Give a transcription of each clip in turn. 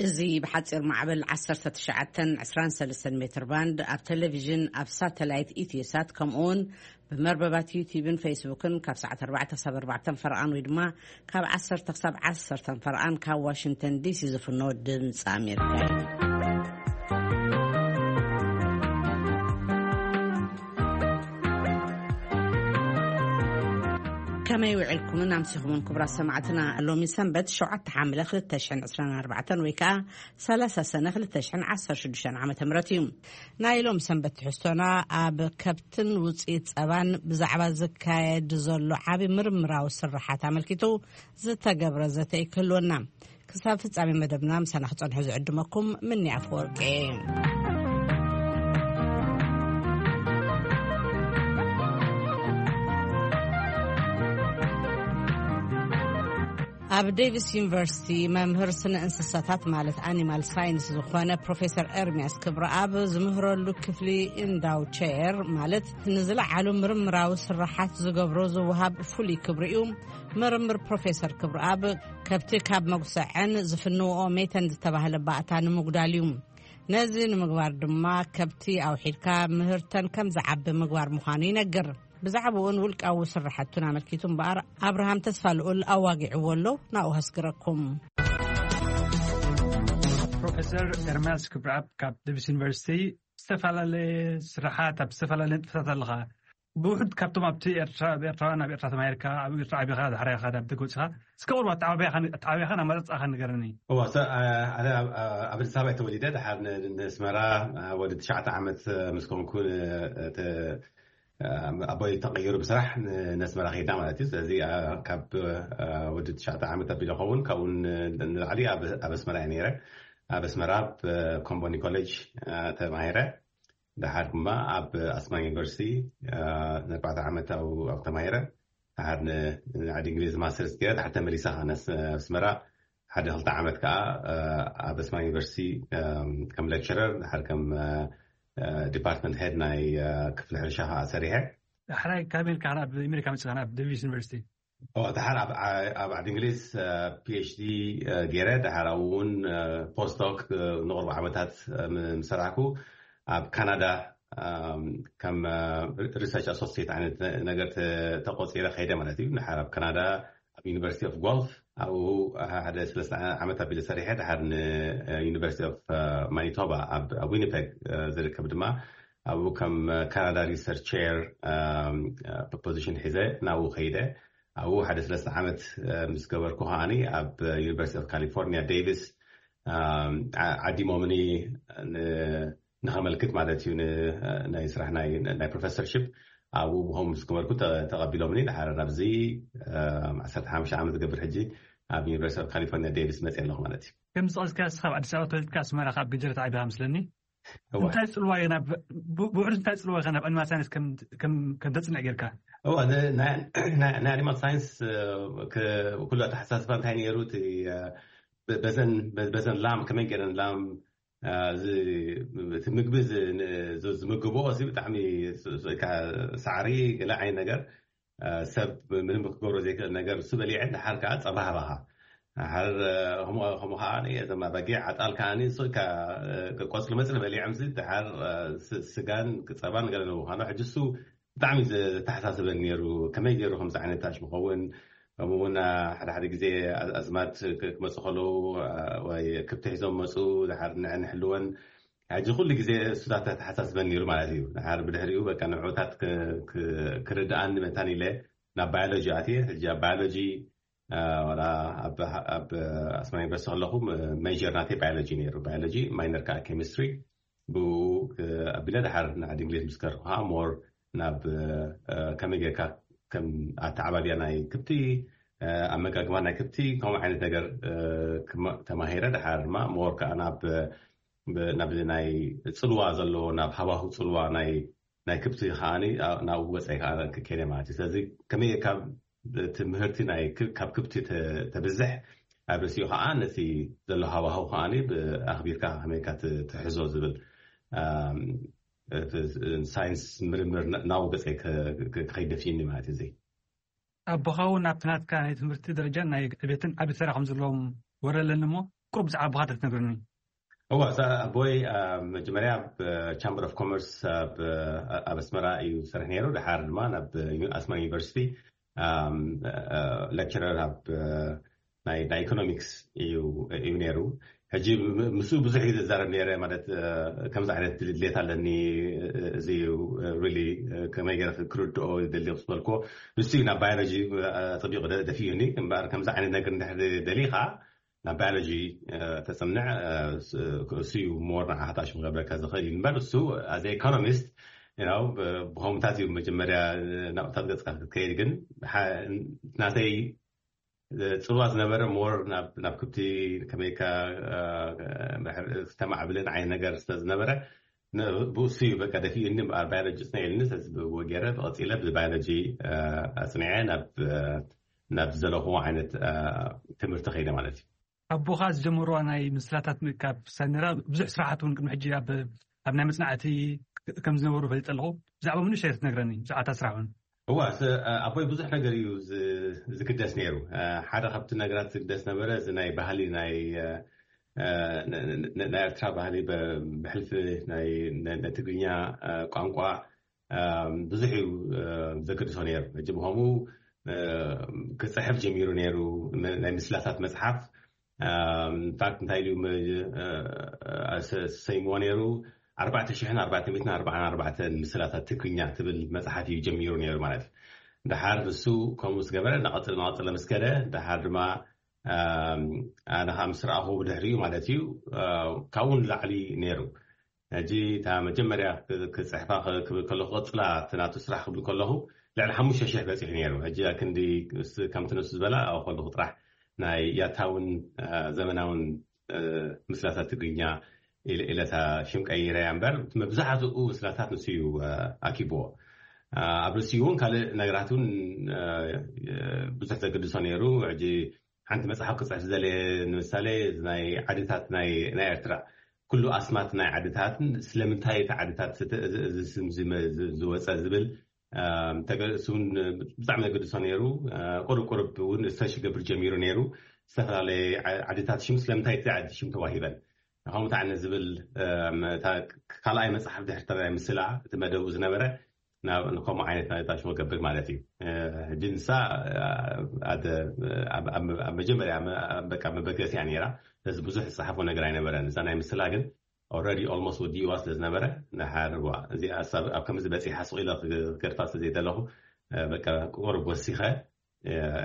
እዚ ብሓጺር ማዕበል ዓሰርተ ትሽዓተ ዕስራን ሰለስተን ሜትር ባንድ፣ ኣብ ቴሌቪዥን፣ ኣብ ሳተላይት ኢትዮሳት፣ ከምኡውን ብመርበባት ዩቲዩብን ፌስቡክን ካብ ሰዓት ኣርባዕተ ክሳብ ኣርባዕተ ፈርቓን ወይ ድማ ካብ ዓሰርተ ክሳብ ዓሰርተ ፈርቓን ካብ ዋሽንግተን ዲሲ ዝፍኖ ድምፂ ኣሜሪካ እዩ። ከመይ ውዕልኩምን ኣምሲኹምን ክቡራት ሰማዕትና? ሎሚ ሰንበት ሸውዓተ ሓምለ ክልተ ሽሕን ዕስራን ኣርባዕተን ወይ ከዓ ሰላሳ ሰነ ክልተ ሽሕን ዓሰርተ ሽዱሽተን ዓመተ ምህረት እዩ። ናይ ሎም ሰንበት ትሕዝቶና ኣብ ከብትን ውፅኢት ፀባን ብዛዕባ ዝካየድ ዘሎ ዓቢ ምርምራዊ ስርሓት ኣመልኪቱ ዝተገብረ ዘተ ክህልወና። ክሳብ ፍጻሜ መደብና ምሳና ክጸንሑ ዝዕድመኩም ምኒ ኣፈወርቂ። ኣብ ዴቪስ ዩኒቨርሲቲ መምህር ስነ እንስሳታት ማለት ኣኒማል ሳይንስ ዝኾነ ፕሮፌሰር ኤርሚያስ ክብረኣብ ዝምህረሉ ክፍሊ ኢንዳው ቸር ማለት ንዝለዓሉ ምርምራዊ ስራሓት ዝገብሮ ዝወሃብ ፍሉይ ክብሪ እዩ። ምርምር ፕሮፌሰር ክብረኣብ ከብቲ ካብ መጉሰዐን ዝፍንውኦ ሜተን ዝተባህለ ባእታ ንምጉዳል እዩ። ነዚ ንምግባር ድማ ከብቲ ኣውሒድካ ምህርተን ከም ዝዓቢ ምግባር ምዃኑ ይነግር። ብዛዕባኡን ውልቃዊ ስራሕቱን ኣመልኪቱ እምበኣር ኣብርሃም ተስፋ ልኡል ኣዋጊዕዎ ኣሎ። ናብኡ ከስግረኩም። ፕሮፌሰር ኤርምያስ ክብረኣብ ካብ ዴቪስ ዩኒቨርሲቲ ዝተፈላለየ ስራሓት ኣብ ዝተፈላለየ ንጥፈታት ኣለኻ። ብውሑድ ካብቶም ኣብቲ ኤርትራ፣ ኤርትራውያን ኣብ ኤርትራ ተማሂርካ፣ ኣብ ኤርትራ ዓቢኻ፣ ድሕሪ ኢኻ ናብ ደገ ወጺኻ፣ እስከ ቁሩብ ኣተዓባብያኻ፣ ኣተዓባብያኻን ኣመራርጻኻን ንገረኒ። እዋ፣ ሰ-፣ ኣ-፣ ኣነ ኣብ፣ ኣብ ኣዲስ ኣበባ እየ ተወሊደ። ድሓር ን-፣ ንኣስመራ፣ ኣ፣ ወዲ ትሽዓተ ዓመት፣ እ፣ ምስ ኮንኩ፣ እ፣ ተ-፣ እ፣ ኣቦይ ተቐይሩ ብስራሕ ን-፣ ንኣስመራ ከይድና ማለት እዩ። ስለዚ፣ ኣ፣ ካብ፣ እ፣ ወዲ ትሽዓተ ዓመት ኣቢለ ኸውን፣ ካብኡ ን-፣ ንላዕሊ ኣብ፣ ኣብ ኣስመራ እየ ነይረ። ኣብ ኣስመራ ኣብ ኮምቦኒ ኮሌጅ፣ እ፣ ተማሂረ። ደሓር ድማ ኣብ ኣስማን ዩኒቨርሲቲ፣ እ፣ ንኣርባዕተ ዓመት ኣብኡ፣ ኣብኡ ተማሂረ። ደሓር ን-፣ ንዓዲ እንግሊዝ ማስተርስ ገይረ፣ ደሓር ተመሊሰ ከኣ ንኣስ-፣ ኣስመራ ሓደ ክልተ ዓመት ከኣ፣ እ፣ ኣብ ኣስማን ዩኒቨርሲቲ፣ እ፣ ከም ሌክቸረር፣ ደሓር ከም፣ እ፣ እ፣ ዲፓርትመንት ሄድ ናይ፣ እ፣ ክፍሊ ሕርሻ ከኣ ሰሪሐ። ዳሕራይ ካብ ኣሜሪካ ናብ ኣሜሪካ መጺኻ ናብ ዴቪስ ዩኒቨርሲቲ? ኦ፣ ደሓር ኣብ፣ ኣብ ዓዲ እንግሊዝ፣ እ፣ ፒ ኤች ዲ፣ እ፣ ገይረ፣ ደሓር ኣብኡ እውን፣ እ፣ ፖስት ዶክ፣ እ፣ ንቕርቡ ዓመታት፣ እ፣ ም-፣ ምስ ሰራሕኩ፣ ኣብ ካናዳ፣ እም፣ ከም፣ እ፣ ሪ-፣ ሪሰርች ኣሶሲየት ዓይነት ነ-፣ ነገር ተ-፣ ተቆጺረ ከይደ ማለት እዩ። ደሓር ኣብ ካናዳ፣ ኣብ ዩኒቨርሲቲ ኦፍ ጓልፍ፣ ኣብኡ ሓደ ሰለስተ ዓመት ኣቢለ ሰሪሐ፣ ደሓር ን፣ እ፣ ዩኒቨርሲቲ ኦፍ፣ እ፣ ማኒቶባ ኣብ፣ ኣብ ዊኒፔግ፣ እ፣ ዝርከብ ድማ፣ ኣብኡ ከም፣ እ፣ ካናዳ ሪሰርች ቼር፣ እም፣ እ፣ ፖዚሽን ሒዘ ናብኡ ከይደ። ኣብኡ ሓደ ሰለስተ ዓመት፣ እ፣ ምስ ገበርኩ ከኣኒ ኣብ ዩኒቨርሲቲ ኦፍ ካሊፎርኒያ ዴቪስ፣ እም፣ ዓ-፣ ዓዲሞምኒ ን-፣ ንኸመልክት ማለት እዩ፣ ን-፣ ናይ ስራሕ ናይ፣ ናይ ፕሮፌሰርሺፕ ኣብኡ ብኸም ምስ ገበርኩ ተ-፣ ተቐቢሎምኒ። ደሓር ናብዚ፣ እም፣ ዓሰርተ ሓሙሽተ ዓመት ዝገብር ሕጂ ኣብ ዩኒቨርሲቲ ኦፍ ካሊፎርኒያ ዴቪስ መፅእ ኣለኹ ማለት እዩ። ከም ዝጠቐስካ ንስኻ ኣብ ኣዲስ ኣበባ ተወሊድካ ኣስመራ ካብ ገጀረት ዓቢኻ መስለኒ። እወ። እንታይ ጽልዋ እዩ ናብ፣ ብ-፣ ብውሕዱ እንታይ ጽልዋ እዩ ናብ ኣኒማል ሳይንስ ከም፣ ከም፣ ከም ተጽንዕ ጌርካ? እወ፣ ን-፣ ናይ፣ ናይ፣ ናይ ኣኒማል ሳይንስ፣ እ፣ ክ-፣ ኩሉ ኣተሓሳስባ እንታይ ነይሩ? እቲ፣ እ፣ በ-፣ በዘን፣ በ-፣ በዘን ላም ከመይ ገይረን ላም፣ እ፣ ዝ-፣ እቲ ምግቢ ዝ-፣ ን-፣ ዝ-፣ ዝምግብኦ እዚ ብጣዕሚ ስ-፣ ስ-፣ ካ-፣ ሳዕሪ ገለ ዓይነት ነገር እ፣ ሰብ ምንም ክገብሮ ዘይክእል ነገር እሱ በሊዐን፣ ደሓር ከዓ ጸባ ሃባኻ። ደሓር፣ እ፣ ከምኡ፣ ከምኡ ከዓ እዞም ኣባጊዕ፣ ኣጣል ከዓ ንሱ ኢልካ፣ እ፣ ቆጽሊ መጽሊ በሊዖምሲ፣ ደሓር፣ እ፣ ስ-፣ ስጋን ጸባን ገለ ንምዃኑ፣ ሕጂ እሱ ብጣዕሚ ዘተሓሳስበኒ ነይሩ። ከመይ ገይሩ ከምዚ ዓይነት ታች ምኸውን? ከምኡ እውን፣ እ፣ ሓደ ሓደ ግዜ ኣዝ-፣ ኣዝማድ ክ-፣ ክመጹ ከለዉ፣ እ፣ ወይ ክብቲ ሒዞም መጹ፣ ደሓር ንዐ ንሕልወን። ሕጂ ኩሉ ግዜ እሱታት ኣተሓሳስበኒ ነይሩ ማለት እዩ። ድሓር ብድሕሪኡ በቃ ንዕኡታት ክ-፣ ክ-፣ ክርድኣኒ መታን ኢለ ናብ ባዮሎጂ ኣትየ። ሕጂ ኣብ ባዮሎጂ፣ እ፣ ዋላ ኣብ፣ ኣብ ኣስመራ ዩኒቨርሲቲ ከለኹ፣ ም-፣ ሜጀር ናተይ ባዮሎጂ ነይሩ። ባዮሎጂ፣ ማይነር ከዓ ኬሚስትሪ። ብኡ፣ እ፣ ኣቢለ ድሓር ንዓዲ እንግሊዝ ምስ ከድኩ ከዓ ሞር ናብ፣ እ፣ ከመይ ጌርካ ከም ኣተዓባብያ ናይ ክብቲ፣ እ፣ ኣመጋግባ ናይ ክብቲ፣ ከምኡ ዓይነት ነገር፣ እ፣ ክማ-፣ ተማሂረ። ድሓር ድማ ሞር ከዓ ናብ ብ-፣ ናብ ናይ ጽልዋ ዘለዎ፣ ናብ ሃዋሁ ጽልዋ ናይ፣ ናይ ክብቲ ከኣኒ፣ ኣ-፣ ናብኡ ገጸይ ከኣ ክ-፣ ከይደ ማለት እዩ። ስለዚ ከመይ ካብ እቲ ምህርቲ ናይ ክ-፣ ካብ ክብቲ ተ-፣ ተብዝሕ፣ ኣብ ርእሲኡ ከኣ ነቲ ዘሎ ሃዋሁ ከኣኒ ብ-፣ ኣኽቢርካ ከመይ ኢልካ ት-፣ ትሕዞ ዝብል፣ ኣም፣ እቲ ሳይንስ ምርምር ና-፣ ናብኡ ገጸይ ክ-፣ ክ-፣ ክኸይድ ደፊእኒ ማለት እዩ። እዚ ኣቦኻ እውን ኣብቲ ናትካ ናይ ትምህርቲ ደረጃን ናይ ዕቤትን ዓቢ ተራ ከም ዘለዎም ወረ ኣለኒ እሞ፣ ቁሩብ ብዛዕባ ብኻ ተትነግረኒ። እዋ ኣቦይ መጀመርያ ኣብ ቻምበር ኦፍ ኮመርስ ኣብ ኣስመራ እዩ ዝሰርሕ ነይሩ። ድሓር ድማ ናብ ኣስመራ ዩኒቨርሲቲ ሌክቸረር ኣብ ናይ ኢኮኖሚክስ እዩ ነይሩ። ሕጂ ምስኡ ብዙሕ እዩ ዝዛረብ ነይረ። ማለት ከምዚ ዓይነት ድሌት ኣለኒ፣ እዚ ከመይ ገይረ ክርድኦ ይደሊ ዝበልኮ፣ ንሱ እዩ ናብ ባዮሎጂ ኣጥቢቑ ደፊኡኒ። እምበኣር ከምዚ ዓይነት ነገር እንድሕር ደሊኻ ናብ ባዮሎጂ ተፅንዕ፣ እሱ እዩ ሞር ንዓኻ ታሽሙ ክገብረካ ዝኽእል እዩ። እምበር እሱ ኣዘ ኢኮኖሚስት ብኸምታት እዩ መጀመርያ ናብታት ገፅካ ክትከይድ። ግን ናተይ ፅልዋ ዝነበረ ሞር ናብ ክብቲ ከመይካ ተማዕብልን ዓይነት ነገር ስለዝነበረ ብእሱ እዩ በቃ ደፊኡኒ። እምበኣር ባዮሎጂ ፅንዕልኒ። ስለዚ ብእዎ ገይረ ብቐፂለ ብባዮሎጂ ኣፅኒዐ ናብ ዝደለኹዎ ዓይነት ትምህርቲ ከይደ ማለት እዩ። ኣቦኻ ዝጀመርዋ ናይ ምስላታት ምእካብ ሰነራ ብዙሕ ስራሓት እውን ቅድሚ ሕጂ ኣብ ኣብ ናይ መፅናዕቲ ከም ዝነበሩ ፈሊጠ ኣለኹ። ብዛዕባ ምኑ ሸር ትነግረኒ? ብዛዕባ እታ ስራሕ እውን። እዋ ኣቦይ ብዙሕ ነገር እዩ ዝግደስ ነይሩ። ሓደ ካብቲ ነገራት ዝግደስ ነበረ እዚ ናይ ባህሊ ናይ ናይ ኤርትራ ባህሊ ብሕልፊ ናይ ትግርኛ ቋንቋ ብዙሕ እዩ ዘገድሶ ነይሩ። ሕጂ ብኸምኡ ክፅሕፍ ጀሚሩ ነይሩ። ናይ ምስላታት መፅሓፍ ኢንፋክት እንታይ ኢሉ ሰይምዎ ነይሩ? ኣርባዕተ ሽሕን ኣርባዕተ ሚእትን ኣርባዓን ኣርባዕተን ምስላታት ትግርኛ ትብል መፅሓፍ እዩ ጀሚሩ ነይሩ ማለት እዩ። ድሓር ንሱ ከምኡ ምስ ገበረ እናቐፅለ እናቐፅለ ምስ ከደ ድሓር ድማ ኣነ ከዓ ምስ ረኣኹ ብድሕሪኡ ማለት እዩ ካብኡ ንላዕሊ ነይሩ። ሕጂ እታ መጀመርያ ክፅሕፋ ክብል ከለኹ ቅፅላ እቲ ናቱ ስራሕ ክብል ከለኹ ልዕሊ ሓሙሽተ ሽሕ በፂሑ ነይሩ። ሕጂ ክንዲ ከምቲ ንሱ ዝበላ ኣብኡ ከለኹ ጥራሕ ናይ ያታውን ዘመናውን ምስላታት ትግርኛ ኢለታ ሽም ቀይረ እያ እምበር መብዛሕትኡ ምስላታት ንሱ እዩ ኣኪብዎ። ኣብ ርእሲኡ እውን ካልእ ነገራት እውን ብዙሕ ዘገድሶ ነይሩ። ሕጂ ሓንቲ መፅሓፍ ክፅሕፍ ዝደለየ ንምሳሌ ናይ ዓድታት ናይ ኤርትራ ኩሉ ኣስማት ናይ ዓድታትን ስለምንታይ እቲ ዓድታት እዚ ስም ዝወፀ ዝብል ተገእሱ እውን ብጣዕሚ ዘገድሶ ነይሩ። ቁርብ ቁርብ እውን ሪሰርች ይገብር ጀሚሩ ነይሩ። ዝተፈላለየ ዓድታት ሽም ስለምንታይ እቲ ዓዲ ሽም ተዋሂበን ከምኡ ተዓነ ዝብል ካልኣይ መፅሓፍ ድሕሪ ተራይ ምስላ እቲ መደቡ ዝነበረ ንከምኡ ዓይነት ናይ ታሽሞ ገብር ማለት እዩ። ሕጂ ንሳ ኣብ መጀመርያ በቃ መበገሲያ ነይራ። ስለዚ ብዙሕ ዝፀሓፎ ነገር ኣይነበረን። እዛ ናይ ምስላ ግን ኦልሬዲ ኦልሞስት ወዲእዋ ስለ ዝነበረ ንሓርዋ እዚኣ ኣብ ከምዚ በፂሓ ስቕ ኢለ ክገድፋ ስለ ዘይደለኹ በቃ ቁሩብ ወሲኸ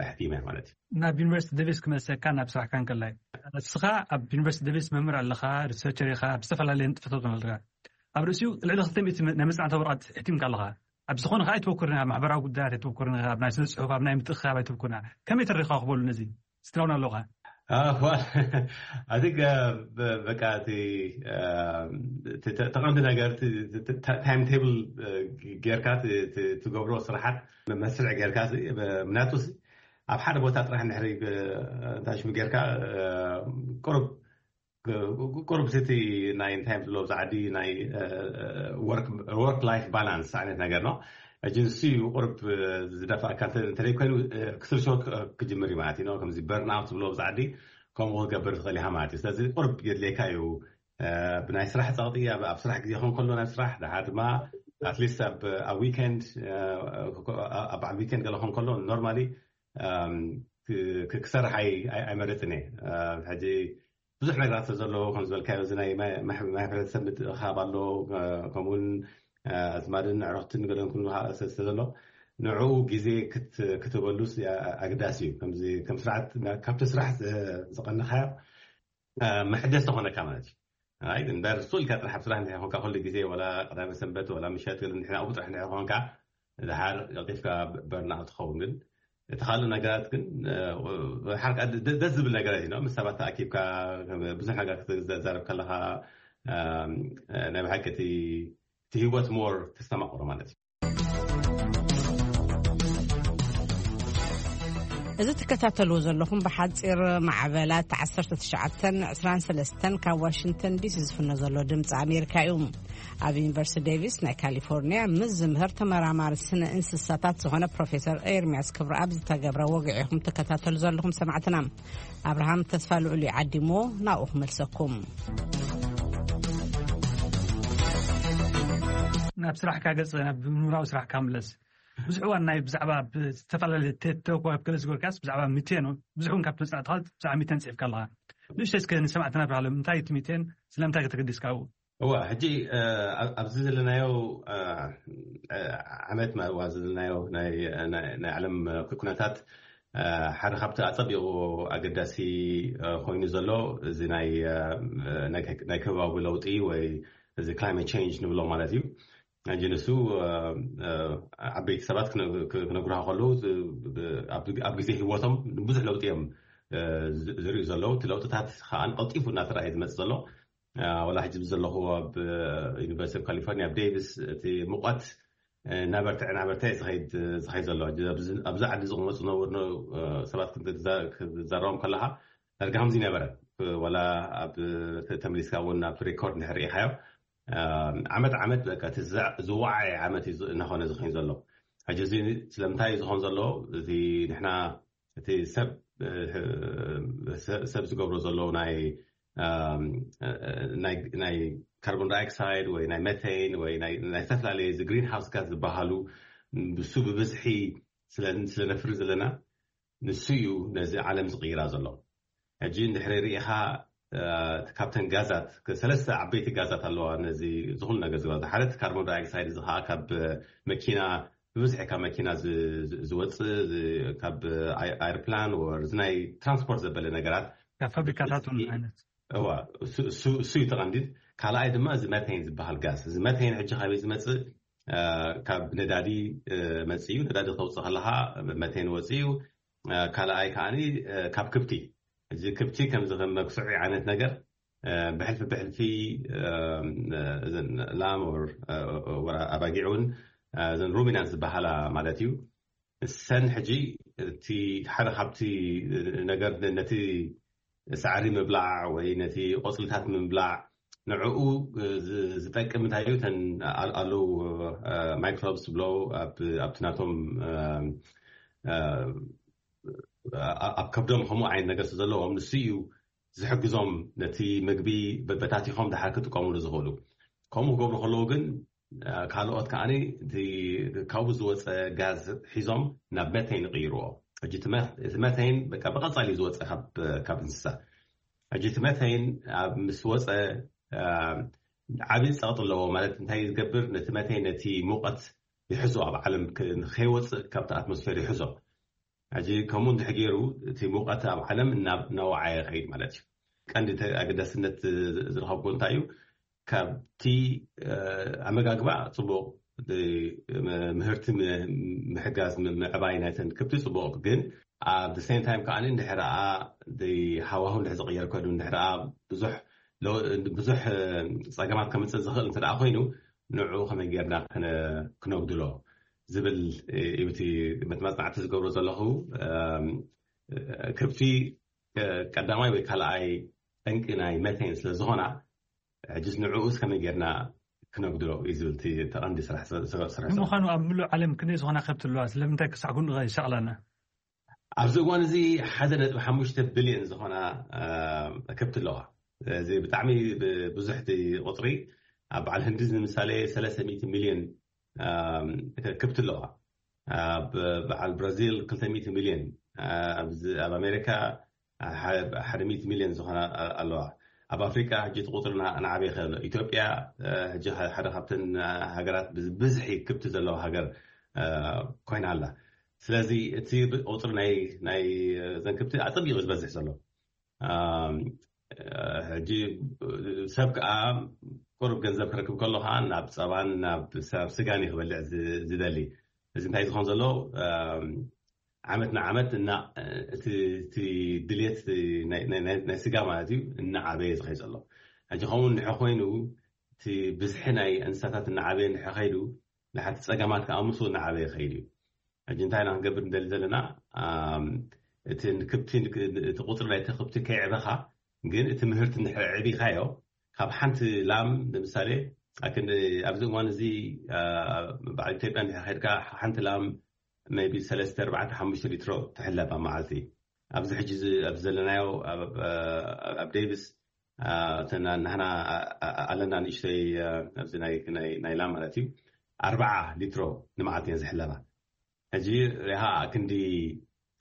ኣሕቲመ ማለት እዩ። ናብ ዩኒቨርሲቲ ደቪስ ክመልሰካ ናብ ስራሕካ እንከላይ እስኻ ኣብ ዩኒቨርሲቲ ደቪስ መምህር ኣለኻ፣ ሪሰርቸር ኢኻ፣ ኣብ ዝተፈላለየ ንጥፈታት ኣለካ። ኣብ ርእሲኡ ልዕሊ ክልተ ሚእቲ ናይ መጽናዕታዊ ወረቐት ሕቲምካ ኣለኻ። ኣብ ዝኾነ ከኣ ኣይትበኩርን ኢኻ፣ ኣብ ማሕበራዊ ጉዳያት ኣይትበኩርን ኢኻ፣ ኣብ ናይ ስነ ጽሑፍ፣ ኣብ ናይ ምትእኽኻብ ኣይትበኩርን ኢኻ። ከመይ ተሪኻ ክበሉ ነዚ? ስትራውን ኣለኻ? ኣይ ቲንክ በቃ እቲ ተቐንዲ ነገር ታይም ቴብል ጌርካ ትገብሮ ስራሓት መስርዕ ጌርካ ምናቱ ኣብ ሓደ ቦታ ጥራሕ ንሕሪ እንታይ ሽሙ ጌርካ ቁሩብ ቁሩብ እቲ ናይ እንታይ ዝብሎ ኣብዚ ዓዲ ናይ ወርክ ላይፍ ባላንስ ዓይነት ነገር ነው። ሕጂ ንሱ እዩ ቁሩብ ዝደፋእካ እንተዘይኮይኑ ክትርሾ ክጅምር እዩ ማለት እዩ። ከምዚ በርን ኣውት ዝብሎ ኣብዚ ዓዲ ከምኡ ክገብር ትኽእል ኢኻ ማለት እዩ። ስለዚ ቁሩብ የድልየካ እዩ ብናይ ስራሕ ፀቕጢ ኣብ ስራሕ ግዜ ኾን ከሎ ናይ ስራሕ ድሓር ድማ ኣትሊስት ኣብ ዊኬንድ ኣብ በዓል ዊኬንድ ገለ ኾን ከሎ ኖርማሊ ክሰርሕ ኣይመረፅን እየ። ሕጂ ብዙሕ ነገራት ስለ ዘለዎ ከም ዝበልካዮ እዚ ናይ ማሕበረተሰብ ምትእኻብ ኣሎ። ከምኡውን ኣዝማድን ኣዕሩኽትን ገለን ኩሉ ስለ ዘሎ ንዕኡ ግዜ ክትህበሉ ኣግዳሲ እዩ። ከም ስርዓት ካብቲ ስራሕ ዝቐነኻዮ መሕደስ ተኾነካ ማለት እዩ። ኣይ እምበር ሱልካ ጥራሕ ኣብ ስራሕ እንድሕር ኮንካ ኩሉ ግዜ ወላ ቀዳመ ሰንበት ወላ ምሸት ገለ እንድሕር ኣብኡ ጥራሕ እንድሕር ኮንካ ድሓር ቀልጢፍካ በርና ትኸውን። ግን እቲ ካልእ ነገራት ግን ሓርካ ደስ ዝብል ነገራት እዩ። ምስ ሰባት ተኣኪብካ ብዙሕ ነገር ክትዛረብ ከለካ ናይ ብሓቂ እቲ ህይወት ሞር ተስተማቕሮ ማለት እዩ። እዚ ትከታተልዎ ዘለኹም ብሓጺር ማዕበላት ዓሰርተ ትሽዓተን ዕስራን ሰለስተን ካብ ዋሽንግተን ዲሲ ዝፍኖ ዘሎ ድምፂ ኣሜሪካ እዩ። ኣብ ዩኒቨርሲቲ ዴቪስ ናይ ካሊፎርኒያ ምስ ዝምህር ተመራማሪ ስነ እንስሳታት ዝኾነ ፕሮፌሰር ኤርሚያስ ክብረኣብ ዝተገብረ ወግዒ ኢኹም ትከታተሉ ዘለኹም ሰማዕትና። ኣብርሃም ተስፋ ልዑል እዩ ዓዲሞ፣ ናብኡ ክመልሰኩም። ናብ ስራሕካ ገጽ፣ ናብ ምሁራዊ ስራሕካ ምለስ። ብዙሕ እዋን ናይ ብዛዕባ ብዝተፈላለየ ቴድ ቶክ ወይ ኣብ ገለ ዝገበርካስ ብዛዕባ ሚቴን ብዙሕ እውን ካብ ትመጽእ ትኻል ብዛዕባ ሚቴን ጽሒፍካ ኣለኻ። ንእሽተይ እስከ ንሰማዕትና ብርሃሎም እንታይ እቲ ሚቴን ስለምንታይ ከተገዲስካ ኣብኡ? እዋ፣ ሕጂ፣ እ፣ ኣብ-፣ ኣብዚ ዘለናዮ፣ እ፣ እ፣ ዓመት ማ-፣ ዋ ዘለናዮ ናይ፣ ናይ፣ ናይ ዓለም ኩነታት፣ እ፣ ሓደ ካብቲ ኣጸቢቑ ኣገዳሲ፣ እ፣ ኮይኑ ዘሎ እዚ ናይ፣ እ፣ ናይ፣ ናይ ከባቢ ለውጢ ወይ እዚ ክላይመት ቼንጅ ንብሎ ማለት እዩ። ሕጂ ንሱ፣ እ፣ እ፣ ዓበይቲ ሰባት ክነ-፣ ክ-፣ ክነግሩኻ ከለዉ፣ ዝ-፣ ብ-፣ ኣብ፣ ኣብ ግዜ ህይወቶም ብዙሕ ለውጢ እዮም፣ እ፣ ዝ-፣ ዝርእዩ ዘለዉ። እቲ ለውጥታት ከኣ ቀልጢፉ እናተረኣየ ዝመጽእ ዘሎ። እ፣ ወላ ሕጂ ዘለኹ ኣብ፣ እ፣ ዩኒቨርሲቲ ኦፍ ካሊፎርኒያ ኣብ ዴቪስ እቲ ሙቐት፣ እ፣ እናበርትዐ፣ እናበርትዐ ዝኸይድ፣ ዝኸይድ ዘሎ። ሕጂ ኣብዚ፣ ኣብዚ ዓዲ ዝቕመጡ ዝነበሩ፣ እ፣ ሰባት ክትዛ-፣ ክትዛረቦም ከለኻ ዳርጋ ከምዚ ነበረ። ወላ ኣብ ተመሊስካ እውን ኣብ ሬኮርድ እንድሕር ርኢኻዮ፣ እ፣ ዓመት ዓመት በቃ እቲ ዝዛ-፣ ዝወዓየ ዓመት እዩ ዝ-፣ እናኾነ ዝኸይድ ዘሎ። ሕጂ እዚ ስለምንታይ እዩ ዝኾን ዘሎ? እዚ ንሕና እቲ ሰብ፣ እ፣ ህ-፣ ሰ-፣ ሰብ ዝገብሮ ዘሎ ናይ፣ እም፣ እ፣ ናይ፣ ናይ ካርቦን ዳይኦክሳይድ ወይ ናይ መቴን ወይ ናይ፣ ናይ ዝተፈላለየ እዚ ግሪን ሃውስ ጋዝ ዝበሃሉ ብሱ ብብዝሒ ስለ፣ ስለ ነፍሪ ዘለና ንሱ እዩ ነዚ ዓለም ዝቕይራ ዘሎ። ሕጂ እንድሕሪ ርኢኻ፣ እ፣ ካብተን ጋዛት፣ ከ-፣ ሰለስተ ዓበይቲ ጋዛት ኣለዋ ነዚ ዝኹሉ ነገር ዝገብራ። ሓደ እቲ ካርቦን ዳይኦክሳይድ፣ እዚ ኸዓ ካብ መኪና፣ ብብዝሒ ካብ መኪና ዝ-፣ ዝ-፣ ዝወፅእ፣ ዝ-፣ ካብ ኣይ-፣ ኣይርፕላን ወር፣ እዚ ናይ ትራንስፖርት ዘበለ ነገራት። ካብ ፋብሪካታት እውን ዓይነት። እዋ፣ እሱ፣ እሱ፣ እሱ እዩ ተቐንዲድ። ካልኣይ ድማ እዚ መቴን ዝበሃል ጋዝ። እዚ መቴን ሕጂ ካበይ ዝመፅእ? እ፣ ካብ ነዳዲ፣ እ፣ መፅእ እዩ። ነዳዲ ከተውፅእ ከለኻ መቴን ወፅእ እዩ። እ፣ ካልኣይ ከዓኒ፣ እ፣ ካብ ክብቲ። እዚ ክብቲ ከምዚ ከም መግስዒ ዓይነት ነገር፣ እ፣ ብሕልፊ ብሕልፊ፣ እ፣ እዘን ላም ኦር፣ እ፣ ወራ ኣባጊዕ እውን፣ እ፣ እዘን ሩሚናንት ዝበሃላ ማለት እዩ። እሰን ሕጂ እቲ ሓደ ካብቲ ነገር ነ-፣ ነቲ ሳዕሪ ምብላዕ ወይ ነቲ ቆጽልታት ምብላዕ ንዕኡ ዝ-፣ ዝጠቅም እንታይ እዩ? እተን ኣል-፣ ኣለዉ፣ እ፣ ማይክሮብስ ዝብሎ ኣብ፣ ኣብቲ ናቶም፣ እ፣ እ፣ ኣ-፣ ኣብ ከብዶም ከምኡ ዓይነት ነገር ስለ ዘለዎም ንሱ እዩ ዝሕግዞም ነቲ ምግቢ በ-፣ በታቲኾም ደሓር ክጥቀሙሉ ዝኽእሉ። ከምኡ ክገብሩ ከለዉ ግን፣ እ፣ ካልኦት ከዓኒ እቲ ካብኡ ዝወፀ ጋዝ ሒዞም ናብ መቴን ይቕይርዎ። ሕጂ እቲ መ-፣ እቲ መቴን በቃ ብቐጻሊ እዩ ዝወፀ ካብ፣ ካብ እንስሳ። ሕጂ እቲ መቴን ኣብ ምስ ወፀ፣ እ፣ ዓብዪ ጸቕጢ ኣለዎ። ማለት እንታይ ዝገብር? ነቲ መቴን ነቲ ሙቐት ይሕዞ፣ ኣብ ዓለም ክ-፣ ንኸይወፅእ ካብቲ ኣትሞስፌር ይሕዞ። ሕጂ ከምኡ እንድሕር ገይሩ እቲ ሙቐት ኣብ ዓለም እናብ-፣ እናወዓየ ይኸይድ ማለት እዩ። ቀንዲ ተ-፣ ኣገዳስነት ዝ-፣ ዝረኸብኩ እንታይ እዩ? ካብቲ፣ እ፣ ኣመጋግባ ጽቡቕ፣ እ፣ ም-፣ ምህርቲ ም-፣ ምሕጋዝ ም-፣ ምዕባይ ናይተን ከብቲ ጽቡቕ፣ ግን ኣብ the same time ከኣ እንድሕር ደኣ ሃዋሁ እንድሕር ዝቕየር ኮይኑ፣ እንድሕር ደኣ ብዙሕ ሎ-፣ ብዙሕ፣ እ፣ ጸገማት ከምጽእ ዝኽእል እንተ ደኣ ኮይኑ፣ ንዕኡ ከመይ ጌርና ክነ-፣ ክነጉድሎ ዝብል እዩ እቲ መጽናዕቲ ዝገብሮ ዘለኹ። እም፣ ከብቲ፣ እ፣ ቀዳማይ ወይ ካልኣይ ጠንቂ ናይ መቴን ስለ ዝኾና፣ ሕጅስ ንዕኡስ ከመይ ጌርና ክነጉድሎ እዩ ዝብል እቲ ተቐንዲ ስራሕ፣ ስራሕ፣ ስራሕ። ንምዃኑ ኣብ ምሉእ ዓለም ክንደይ ዝኾና ከብቲ ኣለዋ? ስለምንታይ ክሳዕ ክንድኡ ይሻቕላና? ኣብዚ እዋን እዚ ሓደ ነጥቢ ሓሙሽተ ቢልዮን ዝኾና፣ እ፣ ከብቲ ኣለዋ። እዚ ብጣዕሚ ብ-፣ ብዙሕ እቲ ቁጽሪ። ኣብ በዓል ህንዲ ንምሳሌ ሰለስተ ሚእቲ ሚልዮን፣ እ፣ ከብቲ ኣለዋ። ኣብ በዓል ብራዚል ክልተ ሚእቲ ሚልዮን፣ እ፣ ኣብዚ፣ ኣብ ኣሜሪካ እ፣ ሐ-፣ ሓደ ሚእቲ ሚልዮን ዝኾና ኣ-፣ ኣለዋ። ኣብ ኣፍሪቃ ሕጂ እቲ ቁጽሪ እና-፣ እናዓበየ ይኸይድ ኣሎ። ኢትዮጵያ፣ እ፣ ሕጂ ሐ-፣ ሓደ ካብተን፣ እ፣ ሃገራት ብዝ-፣ ብዝሒ ከብቲ ዘለዋ ሃገር፣ እ፣ ኮይና ኣላ። ስለዚ እቲ ብ-፣ ቁጽሪ ናይ፣ ናይ፣ እ፣ እዘን ከብቲ ኣጸቢቑ ዝበዝሕ ዘሎ። ኣም፣ እ፣ ሕጂ፣ እ፣ ሰብ ከኣ ቁሩብ ገንዘብ ክረክብ ከሎ ከኣ ናብ ጸባን ናብ ስ-፣ ናብ ስጋን እዩ ክበልዕ ዝ-፣ ዝደሊ። እዚ እንታይ ዝኾን ዘሎ? ኣም፣ ዓመት ንዓመት እና-፣ እቲ፣ እቲ ድልየት ናይ፣ ናይ፣ ናይ፣ ናይ ስጋ ማለት እዩ እናዓበየ ዝኸይድ ዘሎ። ሕጂ ከምኡ እንድሕር ኮይኑ እቲ ብዝሒ ናይ እንስሳታት እናዓበየ እንድሕር ከይዱ፣ ንሓቲ ጸገማት ከኣ ምስኡ እናዓበየ ይኸይድ እዩ። ሕጂ እንታይ ኢና ክንገብር ንደሊ ዘለና? ኣም፣ እቲ ንክብቲ እቲ ቁፅሪ ናይቲ ክብቲ ከይዕበኻ ግን እቲ ምህርቲ እንድሕር ዕቢኻዮ ካብ ሓንቲ ላም ንምሳሌ ኣክን ኣብዚ እዋን እዚ በዓል ኢትዮጵያ እንድሕር ከድካ ሓንቲ ላም maybe ሰለስተ ኣርባዕተ ሓሙሽተ ሊትሮ ትሕለብ ኣብ መዓልቲ ኣብዚ ሕጂ ኣብዚ ዘለናዮ ኣብ ዴቪስ ናህና ኣለና ንእሽተይ ኣብዚ ናይ ላም ማለት እዩ ኣርባዓ ሊትሮ ንመዓልቲ እየን ዝሕለባ ሕጂ ሪሃ ክንዲ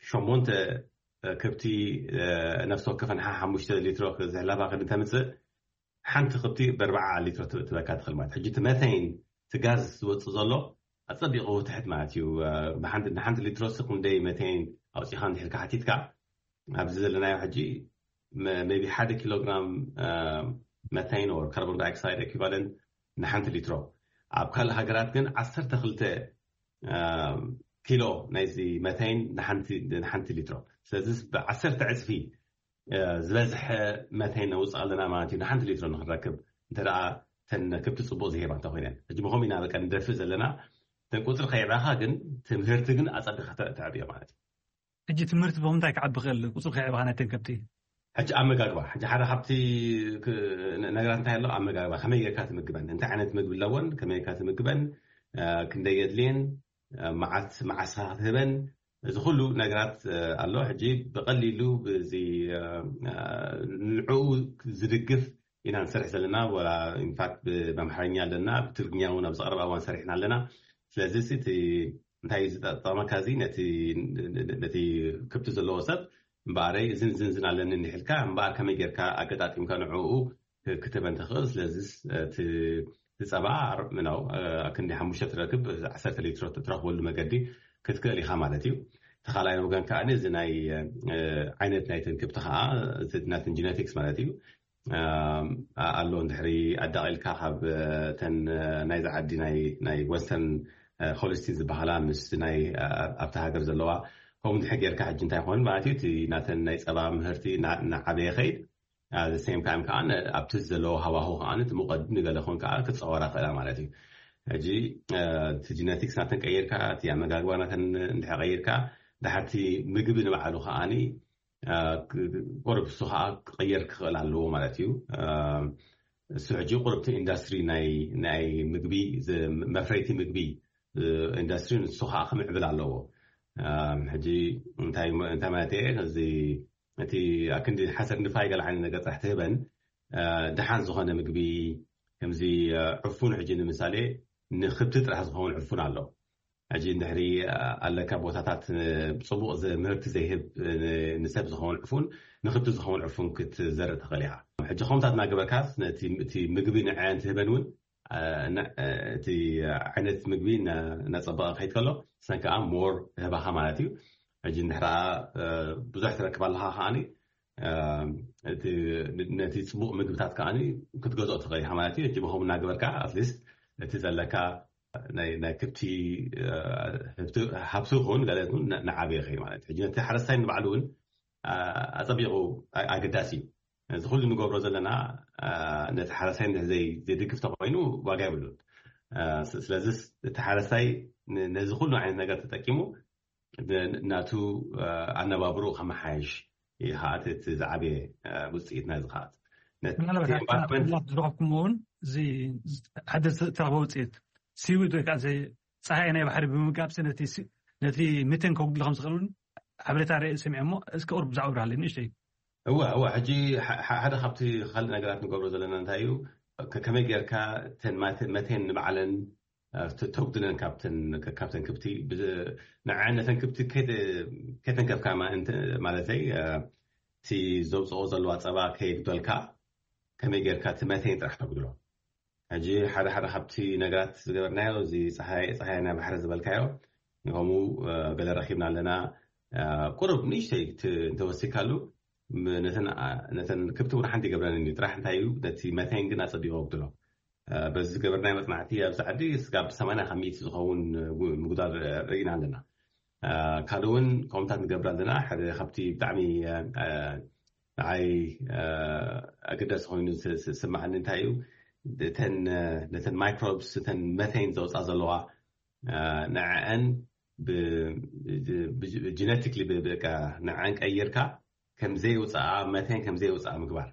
ሸሞንተ ከብቲ ነፍሲ ወከፈን ሓሙሽተ ሊትሮ ዝሕለባ ክድን ተምፅእ ሓንቲ ከብቲ ብኣርባዓ ሊትሮ ትበካ ትኽእል ማለት ሕጂ እቲ መተይን እቲ ጋዝ ዝወፅእ ዘሎ ኣፀቢቑ ትሕት ማለት እዩ ንሓንቲ ሊትሮ ስ ክንደይ መተይን ኣውፂኻ እንድሕልካ ሓቲትካ ኣብዚ ዘለናዮ ሕጂ maybe ሓደ ኪሎግራም መተይን or carbon dioxide equivalent ንሓንቲ ሊትሮ ኣብ ካልእ ሃገራት ግን ዓሰርተ ክልተ ኪሎ ናይዚ መተይን ንሓንቲ ሊትሮ ስለዚ ብዓሰርተ ዕፅፊ ዝበዝሐ መተይን ነውፅእ ኣለና ማለት እዩ ንሓንቲ ሊትሮ ንክንረክብ እንተ ተን ከብቲ ፅቡቅ ዝሄባ እንተኮይነን ሕጂ ብከም ኢና በቀ ንደፍእ ዘለና ተን ቁፅሪ ከይዕባኻ ግን ትምህርቲ ግን ኣፀቢካ ተዕብዮ ማለት እዩ ሕጂ ትምህርቲ ብምንታይ ክዓቢ ክእል ቁፅሪ ከይዕባኻ ናይ ተን ከብቲ ሕጂ ኣመጋግባ ሕጂ ሓደ ካብቲ ነገራት እንታይ ኣሎ ኣመጋግባ ከመይ ጌርካ ትምግበን እንታይ ዓይነት ምግቢ ኣለዎን ከመይ ጌርካ ትምግበን ክንደይ የድልየን መዓት መዓሳ ክትህበን እዚ ኩሉ ነገራት ኣሎ ሕጂ ብቀሊሉ እዚ ንዕኡ ዝድግፍ ኢና ንሰርሕ ዘለና ወላ ኢንፋክት ብኣምሓርኛ ኣለና ብትግርኛ እውን ኣብ ዝቀረባ እዋን ሰሪሕና ኣለና ስለዚ እቲ እንታይ እዩ ዝጠቀመካ እዚ ነቲ ከብቲ ዘለዎ ሰብ እምበኣረይ እዝን ዝንዝን ኣለኒ እንዲሕልካ እምበኣር ከመይ ጌርካ ኣገጣጢምካ ንዕኡ ክትበን ትኽእል ስለዚ እቲ ጸባ ነው ክንዲ ሓሙሽተ ትረክብ ዓሰርተ ሊትሮ ትረክበሉ መገዲ ክትክእል ኢኻ ማለት እዩ ተኻላይ ወገን ከዓ እዚ ናይ ዓይነት ናይ ትንክብቲ ከዓ ናትን ጀነቲክስ ማለት እዩ ኣሎ እንድሕሪ ኣዳቂልካ ካብ ተን ናይዚ ዓዲ ናይ ወስተርን ኮሊስቲን ዝበሃላ ምስ ናይ ኣብቲ ሃገር ዘለዋ ከምኡ ድሕር ጌርካ ሕጂ እንታይ ይኮን ማለት እዩ እቲ ናተን ናይ ፀባ ምህርቲ እናዓበየ ከይድ the same time ከዓ ኣብቲ ዘለዎ ሃዋሁ ከዓ እቲ ሙቀድ ንገለ ኮን ከዓ ክፀወራ ክእላ ማለት እዩ ሕጂ እቲ ጀነቲክስ ናተን ቀይርካ እቲ ኣመጋግባ ናተን እንድሕር ቀይርካ ድሓርቲ ምግቢ ንባዕሉ ከዓኒ ቁርብ እሱ ከዓ ክቀየር ክኽእል ኣለዎ ማለት እዩ እሱ ሕጂ ቁርብቲ ኢንዳስትሪ ናይ ምግቢ መፍረይቲ ምግቢ ኢንዳስትሪ ንሱ ከዓ ክምዕብል ኣለዎ ሕጂ እንታይ ማለት እየ እዚ እቲ ኣክንዲ ሓሰር ንፋይ ገለ ዓይነት ነገር ጥራሕ ትህበን ደሓን ዝኾነ ምግቢ ከምዚ ዕፉን ሕጂ ንምሳሌ ንክብቲ ጥራሕ ዝኸውን ዕፉን ኣሎ ሕጂ እንድሕሪ ኣለካ ቦታታት ፅቡቅ ምህርቲ ዘይህብ ንሰብ ዝኸውን ዕፉን ንክብቲ ዝኸውን ዕፉን ክትዘርእ ትኽእል ኢኻ ሕጂ ከምታት እናገበርካ እቲ ምግቢ ንዐን ትህበን እውን እቲ ዓይነት ምግቢ እናፀበቐ ከይድ ከሎ ሰን ከዓ ሞር ህባኻ ማለት እዩ ሕጂ እንድሕራ ብዙሕ ትረክብ ኣለካ ከዓኒ ነቲ ፅቡቅ ምግብታት ከዓ ክትገዝኦ ትኽእል ኢኻ ማለት እዩ ሕጂ ብከም እናገበርካ ኣትሊስት እቲ ዘለካ ናይ ክብቲ ሃብቲ ይኸውን ገለ ንዓበየ ኸ ማለት ሕጂ ነቲ ሓረስታይ ንባዕሉ እውን ኣፀቢቑ ኣገዳሲ እዩ እዚ ኩሉ ንገብሮ ዘለና ነቲ ሓረስታይ ዘድግፍ ተኮይኑ ዋጋ የብሉን ስለዚ እቲ ሓረስታይ ነዚ ኩሉ ዓይነት ነገር ተጠቂሙ ናቱ ኣነባብሮ ከመሓየሽ ይኸኣት እቲ ዝዓበየ ውፅኢት ናይዚ ከኣት ዝረኸብኩሞ እውን እዚ ሓደ ዝተረኸበ ውፅኢት ሲዊድ ወይ ከዓ ፀሃይ ናይ ባሕሪ ብምጋብ ነቲ ሚቴን ከጉድሎ ከም ዝኽእል እውን ሓበሬታ ርእ ሰሚዐ እሞ እስከ ቁርብ ብዛዕባ ብርሃለይ ንእሽተይ እወ እወ ሕጂ ሓደ ካብቲ ካልእ ነገራት ንገብሮ ዘለና እንታይ እዩ ከመይ ጌርካ መቴን ንባዕለን ተጉድለን ካብተን ክብቲ ንዐ ነተን ክብቲ ከይተንከፍካ ማለተይ እቲ ዘውፅኦ ዘለዋ ፀባ ከየጉደልካ ከመይ ጌርካ እቲ መቴን ጥራሕ ተጉድሎ ሕጂ ሓደ ሓደ ካብቲ ነገራት ዝገበርናዮ እዚ ፀሃይ ናይ ባሕሪ ዝበልካዮ ከምኡ ገለ ረኪብና ኣለና ቁሩብ ንእሽተይ እንተወሲካሉ ነተን ክብቲ እውን ሓንቲ ይገብረን እዩ ጥራሕ እንታይ እዩ ነቲ መቴን ግን ኣፀቢቆ ጉድሎ በዚ ዝገበርናዮ መፅናዕቲ ኣብዚ ዓዲ ስጋብ ሰማንያ ካብ ሚእቲ ዝኸውን ምጉዳል ርኢና ኣለና ካልእ እውን ከምታት ንገብር ኣለና ሓደ ካብቲ ብጣዕሚ ንዓይ ኣገዳሲ ኮይኑ ስማዓኒ እንታይ እዩ ነተን ማይክሮብስ እተን መተይን ዘውፃ ዘለዋ ንዐአን ብጀነቲክሊ በቃ ንዐን ቀይርካ ከም ዘይውፃኣ መቴን ከም ዘይውፃኣ ምግባር።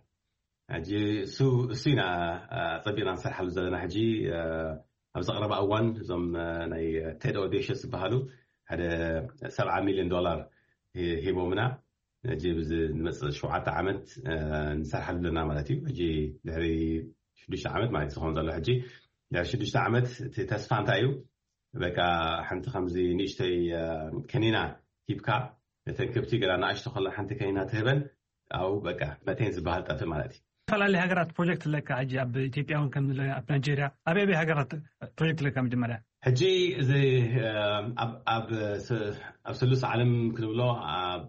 ሕጂ እሱ እሱ ኢና ፀቢቕና ንሰርሓሉ ዘለና። ሕጂ ኣብዚ ቀረባ እዋን እዞም ናይ ቴድ ኦዴሽስ ዝበሃሉ ሓደ ሰብዓ ሚሊዮን ዶላር ሂቦምና። ሕጂ ብዚ ንመፅእ ሸውዓተ ዓመት ንሰርሓሉ ኣለና ማለት እዩ። ሕጂ ድሕሪ ሽዱሽተ ዓመት ማለት ዝኸውን ዘሎ። ሕጂ ድሕሪ ሽዱሽተ ዓመት እቲ ተስፋ እንታይ እዩ? በቃ ሓንቲ ከምዚ ንእሽተይ ከኒና ሂብካ ነተን ከብቲ ገና ንኣሽቶ ከላ ሓንቲ ከኒና ትህበን፣ ኣው በቃ መቴን ዝበሃል ጠፍእ ማለት እዩ። ዝተፈላለዩ ሃገራት ፕሮጀክት ኣለካ። ሕጂ ኣብ ኢትዮጵያ እውን ከም ኣብ ናይጄሪያ፣ ኣብ ኣበይ ሃገራት ፕሮጀክት ኣለካ? መጀመርያ ሕጂ እዚ ኣብ ስሉስ ዓለም ክንብሎ ኣብ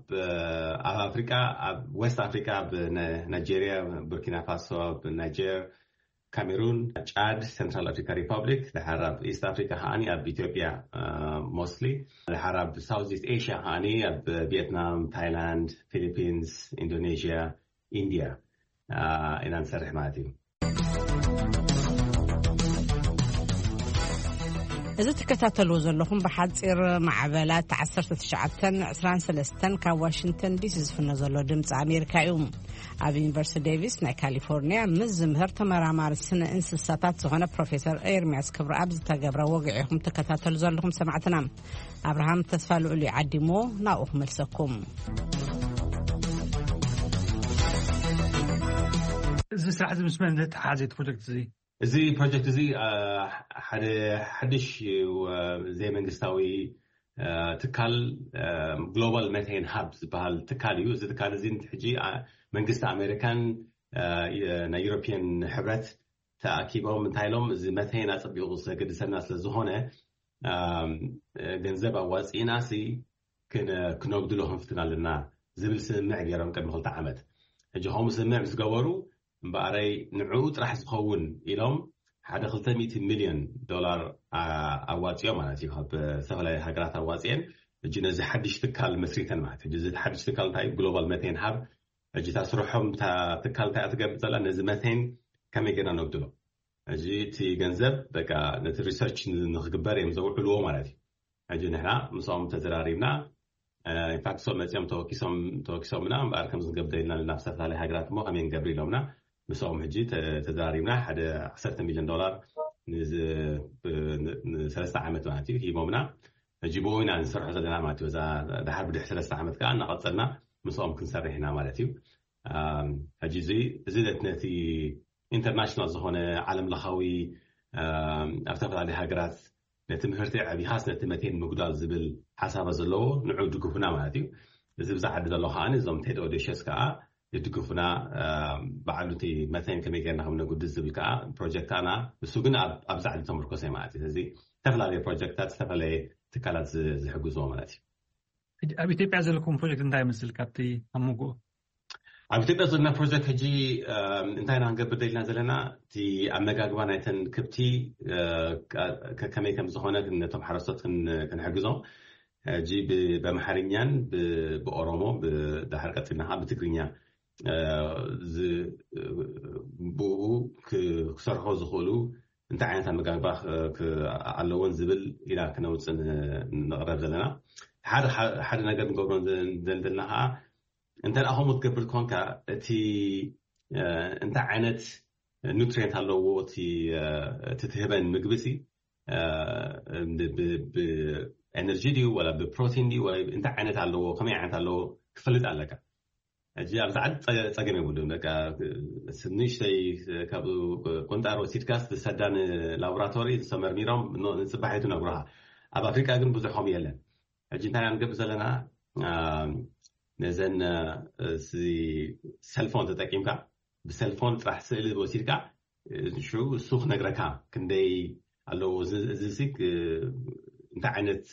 ኣፍሪቃ፣ ኣብ ዌስት ኣፍሪቃ፣ ኣብ ናይጄሪያ፣ ቡርኪና ፋሶ፣ ኣብ ናይጀር፣ ካሜሩን፣ ጫድ፣ ሴንትራል ኣፍሪካ ሪፐብሊክ፣ ድሓር ኣብ ኢስት ኣፍሪካ ከዓኒ ኣብ ኢትዮጵያ ሞስትሊ፣ ድሓር ኣብ ሳውዝ ኢስት ኤሽያ ከዓኒ ኣብ ቪየትናም፣ ታይላንድ፣ ፊሊፒንስ፣ ኢንዶኔዥያ፣ ኢንዲያ ኢና ንሰርሕ ማለት እዩ። እዚ ትከታተልዎ ዘለኹም ብሓፂር ማዕበላት ዓሰርተ ትሽዓተ ዕስራን ሰለስተን ካብ ዋሽንግተን ዲሲ ዝፍኖ ዘሎ ድምፂ ኣሜሪካ እዩ። ኣብ ዩኒቨርሲቲ ዴቪስ ናይ ካሊፎርኒያ ምስ ዝምህር ተመራማሪ ስነ እንስሳታት ዝኾነ ፕሮፌሰር ኤርሚያስ ክብረኣብ ዝተገብረ ወግዒ ኢኹም ትከታተሉ ዘለኹም ሰማዕትና። ኣብርሃም ተስፋ ልዑል እዩ ዓዲሞ ናብኡ ክመልሰኩም። እዚ ስራሕ እዚ ምስ መን ዝተሓሓዘ እቲ ፕሮጀክት እዚ? እዚ ፕሮጀክት እዚ ሓደ ሓድሽ ዘይመንግስታዊ ትካል ግሎባል መቴን ሃብ ዝበሃል ትካል እዩ። እዚ ትካል እዚ ሕጂ መንግስቲ ኣሜሪካን ናይ ዩሮፒያን ሕብረት ተኣኪቦም እንታይ ኢሎም፣ እዚ መቴን ኣፀቢቑ ዘገድሰና ስለዝኾነ ገንዘብ ኣዋፂእና ሲ ክነጉድሎ ክንፍትን ኣለና ዝብል ስምምዕ ገይሮም ቅድሚ ክልተ ዓመት። ሕጂ ከምኡ ስምምዕ ምስ ገበሩ እምበኣረይ ንዕኡ ጥራሕ ዝኸውን ኢሎም ሓደ ክልተ ሚእቲ ሚልዮን ዶላር ኣዋፂኦም ማለት እዩ። ካብ ዝተፈላለዩ ሃገራት ኣዋፂአን ሕጂ ነዚ ሓድሽ ትካል መስሪተን ማለት እዩ። እዚ ሓድሽ ትካል እንታይ እዩ? ግሎባል መቴን ሃብ። ሕጂ እታ ስርሖም እታ ትካል እንታይ እያ ትገብር ዘላ? ነዚ መቴን ከመይ ጌርና ነጉድሎ። ሕጂ እቲ ገንዘብ በቃ ነቲ ሪሰርች ንክግበር እዮም ዘውዕልዎ ማለት እዩ። ሕጂ ንሕና ምስኦም ተዘራሪብና ኢንፋክት እሶም መፂኦም ተወኪሶም ተወኪሶምና እምበኣር ከምዚ ክንገብር ደሊና ኣለና ብዝተፈላለየ ሃገራት እሞ ከመይ ንገብር ኢሎምና ምስኦም ሕጂ ተዘራሪብና ሓደ ዓሰርተ ሚልዮን ዶላር ንሰለስተ ዓመት ማለት እዩ ሂቦምና። ሕጂ ብኡ ኢና ንሰርሖ ዘለና ማለት እዩ። እዛ ድሓር ብድሕ ሰለስተ ዓመት ከዓ እናቐፀልና ምስኦም ክንሰርሕ ኢና ማለት እዩ። ሕጂ እዚ እዚ ነቲ ኢንተርናሽናል ዝኾነ ዓለም ለኻዊ ኣብ ዝተፈላለዩ ሃገራት ነቲ ምህርቲ ዓቢኻስ ነቲ መቴን ምጉዳል ዝብል ሓሳባት ዘለዎ ንዑ ድግፉና ማለት እዩ። እዚ ብዛ ዓዲ ዘሎ ከዓ እዞም ቴድ ኦዴሽስ ከዓ ይድግፉና። ባዕሉ እቲ መቴን ከመይ ጌርና ከም ነጉድል ዝብል ከዓ ፕሮጀክት ኣና እሱ ግን ኣብዛ ዓዲ ተመርኮሰ ማለት እዩ። ስለዚ ዝተፈላለዩ ፕሮጀክታት ዝተፈላለየ ትካላት ዝሕግዝዎ ማለት እዩ። ኣብ ኢትዮጵያ ዘለኩም ፕሮጀክት እንታይ ይመስል? ካብቲ ኣብ መንጎ ኣብ ኢትዮጵያ ዘለና ፕሮጀክት ሕጂ እንታይ ኢና ክንገብር ደሊና ዘለና? እቲ ኣመጋግባ ናይተን ክብቲ ከመይ ከም ዝኾነ ነቶም ሓረስቶት ክንሕግዞም ሕጂ ብኣምሓርኛን ብኦሮሞ ብድሓር ቀፂልና ከዓ ብትግርኛ ብኡ ክሰርሖ ዝኽእሉ እንታይ ዓይነት ኣመጋግባ ኣለዎን ዝብል ኢና ክነውፅእ ንቕረብ ዘለና። ሓደ ነገር ንገብሮ ዘለና ከዓ እንተ ከምኡ ትገብር ኮንካ እቲ እንታይ ዓይነት ኑትሪንት ኣለዎ እቲ ትህበን ምግቢ ሲ ብኤነርጂ ድዩ ወላ ብፕሮቲን ድዩ እንታይ ዓይነት ኣለዎ ከመይ ዓይነት ኣለዎ ክፈልጥ ኣለካ። ሕጂ ኣብዚ ዓዲ ፀገም የብሉን። በቃ ንእሽተይ ካብ ቁንጣሮ ወሲድካ ዝሰዳ ንላቦራቶሪ ዝተመርሚሮም ንፅባሒቱ ነግሩኻ። ኣብ ኣፍሪቃ ግን ብዙሕ ከምኡ የለን። ሕጂ እንታይ ኢና ንገብር ዘለና? ነዘን ሰልፎን ተጠቂምካ ብሰልፎን ጥራሕ ስእሊ ወሲድካ ሽዑ እሱ ክነግረካ ክንደይ ኣለዎ። እዚ እንታይ ዓይነት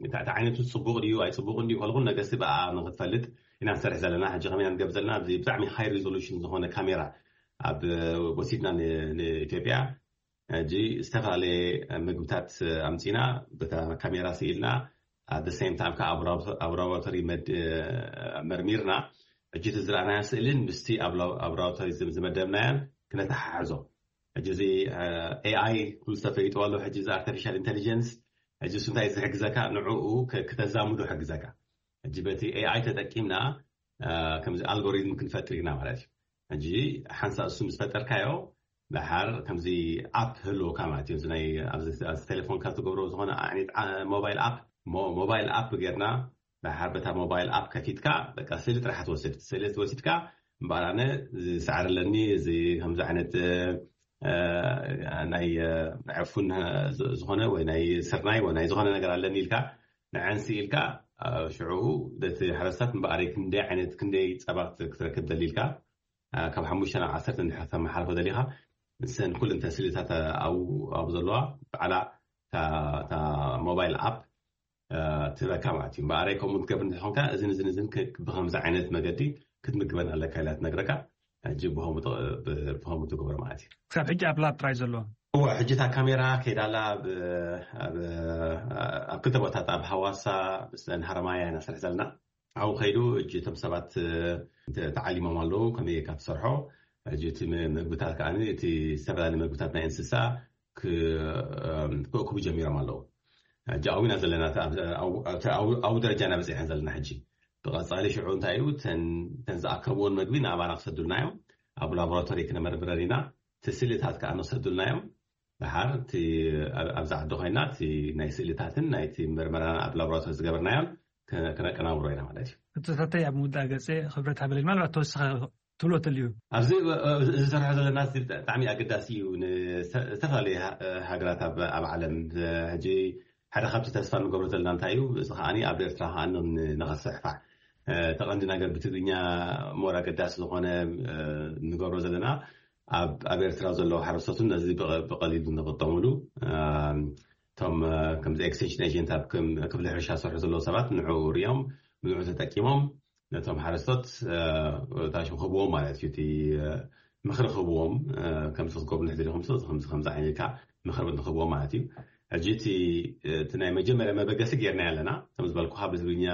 እንታይ ዓይነቱ ፅቡቕ ድዩ ኣይፅቡቕን ድዩ ከልኩን ነገርሲ ብኣ ንክትፈልጥ ኢና ንሰርሕ ዘለና። ሕጂ ከመይ ኢና ንገብር ዘለና? ኣብዚ ብጣዕሚ ሃይ ሪዞሉሽን ዝኾነ ካሜራ ኣብ ወሲድና ንኢትዮጵያ ሕጂ ዝተፈላለየ ምግብታት ኣምፂና በታ ካሜራ ስኢልና ኣደ ሴም ታይም ከዓ ኣብ ላቦራቶሪ መርሚርና ሕጂ እቲ ዝረኣናዮ ስእልን ምስቲ ኣብ ላቦራቶሪ ዝመደብናዮን ክነተሓሕዞ። ሕጂ እዚ ኤኣይ ኩሉ ዝተፈሊጥዋ ኣሎ። ሕጂ እዚ ኣርቲፊሻል ኢንቴሊጀንስ ሕጂ እሱ እንታይ ዝሕግዘካ? ንዕኡ ክ- ክተዛምዶ ሕግዘካ። ሕጂ በቲ ኤኣይ ተጠቂምና እ፣ ከምዚ ኣልጎሪዝም ክንፈጥር ኢና ማለት እዩ። ሕጂ ሓንሳብ እሱ ምስ ፈጠርካዮ፣ ደሓር ከምዚ ኣፕ ህልወካ ማለት እዩ። እዚ ናይ ኣብዚ ኣብዚ ቴሌፎንካ ትገብሮ ዝኾነ ዓይነት ዓ- ሞባይል ኣፕ ሞ- ሞባይል ኣፕ ጌርና፣ ደሓር በታ ሞባይል ኣፕ ከፊትካ በቃ ስእሊ ጥራሕ ትወስድ። ስእሊ ትወሲድካ እምበኣር ኣነ እዚ ሳዕሪ ኣለኒ፣ እዚ ከምዚ ዓይነት እ፣ ናይ እ፣ ዕፉን እ፣ ዝ- ዝኾነ ወይ ናይ ስርናይ ወይ ናይ ዝኾነ ነገር ኣለኒ ኢልካ ንዐንሲ ኢልካ እ፣ ሽዑ ነቲ ሓረስታት እምበኣር ክንደይ ዓይነት ክንደይ ጸባ ክት- ክትረክብ ደሊ ኢልካ እ፣ ካብ ሓሙሽተ ናብ ዓሰርተ እንድሕር ተመሓልፎ ደሊኻ ንሰን ኩለን ተስልታት ኣብኡ ኣብኡ ዘለዋ ባዕላ እታ እታ ሞባይል ኣፕ እ፣ ትህበካ ማለት እዩ። እምበኣረይ ከምኡ ትገብር እንተኾንካ እዝን እዝን እዝን ክ- ብኸምዚ ዓይነት መገዲ ክትምግበን ኣለካ ኢላ ትነግረካ። ሕጂ ብኸምኡ ት- ብ- ብኸምኡ ትገብሮ ማለት እዩ። ክሳብ ሕጂ ኣብ ላብ ጥራይ ዘሎ። እወ፣ ሕጂ እታ ካሜራ ከይዳላ ኣብ ኣብ ኣብ ክልተ ቦታት ኣብ ሃዋሳ ምስ ሃረማያ ኢና ስራሕ ዘለና። ኣብኡ ከይዱ ሕጂ እቶም ሰባት እ፣ ተ- ተዓሊሞም ኣለዉ ከመይ ጌርካ ትሰርሖ። ሕጂ እቲ ም- ምግብታት ከዓ እቲ ዝተፈላለዩ ምግብታት ናይ እንስሳ ክ- እም፣ ክእክቡ ጀሚሮም ኣለዉ። ሕጂ ኣብና ዘለና ኣብኡ ደረጃ ኢና በፂሐን ዘለና። ሕጂ ብቐፃሊ ሽዑ እንታይ እዩ? ተን ዝኣከብዎን መግቢ ንኣባና ክሰዱልና እዮም። ኣብ ላቦራቶሪ ክነመርምረን ኢና። እቲ ስእልታት ከዓ ንክሰዱልና እዮም። ድሓር እቲ ኣብዛ ዓዲ ኮይና እቲ ናይ ስእልታትን ናይቲ ምርመራን ኣብ ላቦራቶሪ ዝገበርናዮን ክነቀናብሮ ኢና ማለት እዩ። እቲ ተተይ ኣብ ምውዳእ ገፀ ክብረት ሃበለይ ማለት ተወሰኸ ትብሎ ተልዩ ኣብዚ ዝሰርሖ ዘለና ብጣዕሚ ኣገዳሲ እዩ። ንዝተፈላለየ ሃገራት ኣብ ዓለም ሕጂ ሓደ ካብቲ ተስፋ ንገብሮ ዘለና እንታይ እዩ? እዚ ከዓኒ ኣብ ኤርትራ ከዓኒ ንኸስሕፋዕ ተቐንዲ ነገር ብትግርኛ ሞር ኣገዳሲ ዝኾነ ንገብሮ ዘለና ኣብ ኤርትራ ዘለዉ ሓረስቶትን ነዚ ብቐሊሉ ንኽጠሙሉ እቶም ከምዚ ኤክስቴንሽን ኤጀንት ኣብ ክፍሊ ሕርሻ ዝሰርሑ ዘለዉ ሰባት ንዕኡ ሪኦም ንዕኡ ተጠቂሞም ነቶም ሓረስቶት ታሽም ክህብዎም ማለት እዩ። እቲ ምኽሪ ክህብዎም ከምዚ ክትገብሩ ንሕድሪ ከምዚ ከምዚ ከምዚ ዓይነትካ ምኽሪ ንክህብዎም ማለት እዩ። ሕጂ እቲ ናይ መጀመርያ መበገሲ ጌርና ኣለና። ከም ዝበልኩኻ ብትግርኛ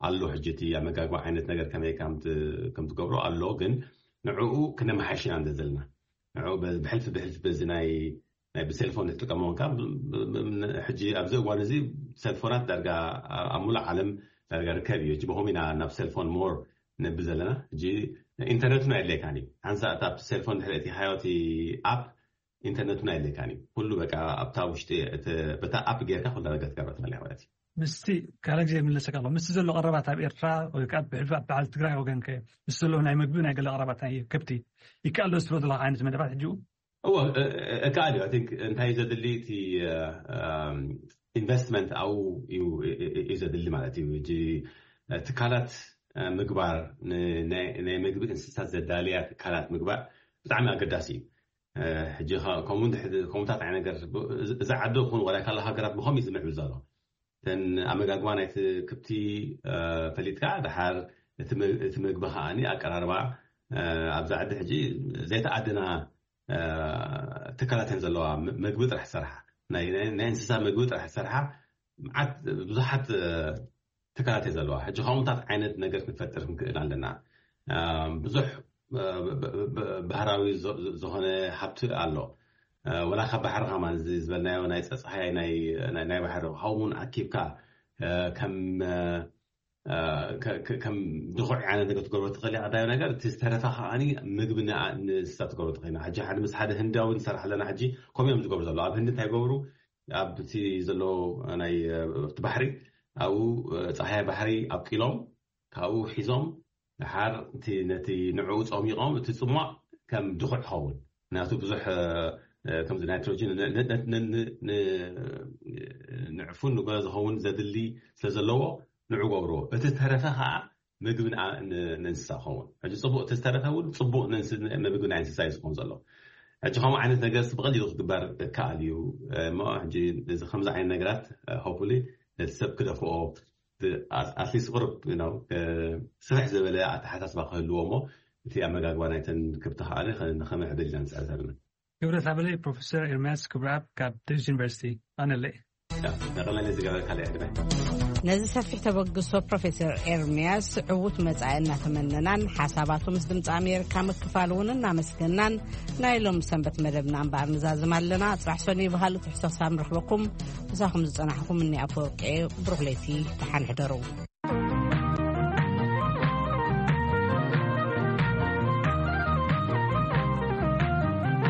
ኣሎ። ሕጂ እቲ ኣመጋግባ ዓይነት ነገር ከመይ ከም ትገብሮ ኣሎ፣ ግን ንዕኡ ክነመሓይሽ ኢና እንደ ዘለና ንዕኡ ብሕልፊ ብሕልፊ በዚ ናይ ናይ ብሴልፎን ንጥቀመውን ካብ ሕጂ ኣብዚ እዋን እዚ ሴልፎናት ዳርጋ ኣብ ሙሉእ ዓለም ዳርጋ ርከብ እዩ። ሕጂ ብኸም ኢና ናብ ሴልፎን ሞር ነብል ዘለና። ሕጂ ኢንተርነት እውን ኣየድለየካን እዩ። ሓንሳ እታ ሴልፎን ድሕሪ እቲ ሃዮቲ ኣፕ ኢንተርነት እውን ኣየድለየካን እዩ። ኩሉ በቃ ኣብታ ውሽጢ በታ ኣፕ ጌርካ ኩላ ነገር ትገብረ ትኽእል ማለት እዩ። ምስቲ ካልእ ግዜ የምለሰካ ኣሎ ምስቲ ዘሎ ቀረባት ኣብ ኤርትራ ወይ ከዓ ብሕልፊ ኣብ በዓል ትግራይ ወገንከ ምስ ዘለዉ ናይ መግቢ ናይ ገለ ቀረባት ናይ ከብቲ ይከኣል ዶ ዝትሎ ዘለካ ዓይነት መደባት ሕጂ እወ እከኣል እዩ። ቲንክ እንታይ እዩ ዘድሊ እቲ ኢንቨስትመንት ኣብኡ እዩ ዘድሊ ማለት እዩ። እ ትካላት ምግባር ናይ ምግቢ እንስሳት ዘዳልያ ትካላት ምግባር ብጣዕሚ ኣገዳሲ እዩ። ሕጂ ከምኡታት ዓይነት ነገር እዛ ዓዲ ኹን ወላ ካልእ ሃገራት ብኸም እዩ ዝምዕብል ዘሎ እተን ኣመጋግባ ናይቲ ክብቲ ፈሊጥካ ድሓር እቲ ምግቢ ከዓኒ ኣቀራርባ ኣብዛ ዓዲ ሕጂ ዘይተኣደና ትካላት እየን ዘለዋ። ምግቢ ጥራሕ ዝሰርሓ ናይ እንስሳ ምግቢ ጥራሕ ዝሰርሓ መዓት ብዙሓት ትካላት እየ ዘለዋ። ሕጂ ከምኡታት ዓይነት ነገር ክንፈጥር ክንክእል ኣለና። ብዙሕ ባህራዊ ዝኾነ ሃብቲ ኣሎ። ወላ ካብ ባሕሪ ከማን እዚ ዝበልናዮ ናይ ፀፀሃይ ናይ ባሕሪ ሃውን ኣኪብካ ከም ከም ድኹዕ ዓይነት ነገር ትገብሮ ትኽእል ኢኻ። ቀዳሚ ነገር እቲ ዝተረፈ ከዓኒ ምግቢ ንእንስሳ ትገብሮ ትኽእል ኢና። ሕጂ ሓደ ምስ ሓደ ህንዳዊ ንሰርሕ ኣለና። ሕጂ ከምኡ እዮም ዝገብሩ ዘለዉ ኣብ ህንዲ እንታይ ይገብሩ ኣብቲ ዘሎ ናይ እቲ ባሕሪ ኣብኡ ፀሃያ ባሕሪ ኣብቂሎም ካብኡ ሒዞም ድሓር እቲ ነቲ ንዕኡ ፀሚቖም እቲ ፅሟቕ ከም ድኹዕ ይኸውን። ምክንያቱ ብዙሕ ከምዚ ናይትሮጅን ንዕፉን ንጎ ዝኸውን ዘድሊ ስለ ዘለዎ ንዑ ገብርዎ። እቲ ዝተረፈ ከዓ ምግቢ ንእንስሳ ክኸውን። ሕጂ ፅቡቅ እቲ ዝተረፈ እውን ፅቡቅ ምግቢ ናይ እንስሳ እዩ ዝኸውን ዘሎ። ሕጂ ከምኡ ዓይነት ነገር ብቀሊሉ ክግበር ይከኣል እዩ። እሞ ሕጂ እዚ ከምዚ ዓይነት ነገራት ሆፕፉሊ ነቲ ሰብ ክደፍኦ ኣትሊስት ቁርብ ስፍሕ ዝበለ ኣተሓሳስባ ክህልዎ እሞ እቲ ኣመጋግባ ናይተን ክብቲ ከዓ ንኸምዕብል ኢና ንፅዕር ዘለና። ክብረት ሃበለይ ፕሮፌሰር ኤርምያስ ክብረኣብ ካብ ቴኒስ ዩኒቨርሲቲ ኣነለይ። ነቐለለ ዝገበረ ካልእ ዕድመ ነዚ ሰፊሕ ተበግሶ ፕሮፌሰር ኤርምያስ ዕዉት መጻኢ እናተመነናን ሓሳባቱ ምስ ድምፂ ኣሜሪካ ምክፋል እውን እናመስገናን፣ ናይ ሎም ሰንበት መደብና እምበኣር ንዛዝም ኣለና። ጽባሕ ሰኑይ ብኻልእ ትሕዝቶ ክሳብ ንረኽበኩም፣ ምሳኹም ዝጸናሕኩም እኒ ኣፈወርቂ። ብሩኽ ለይቲ፣ ደሓን ሕደሩ።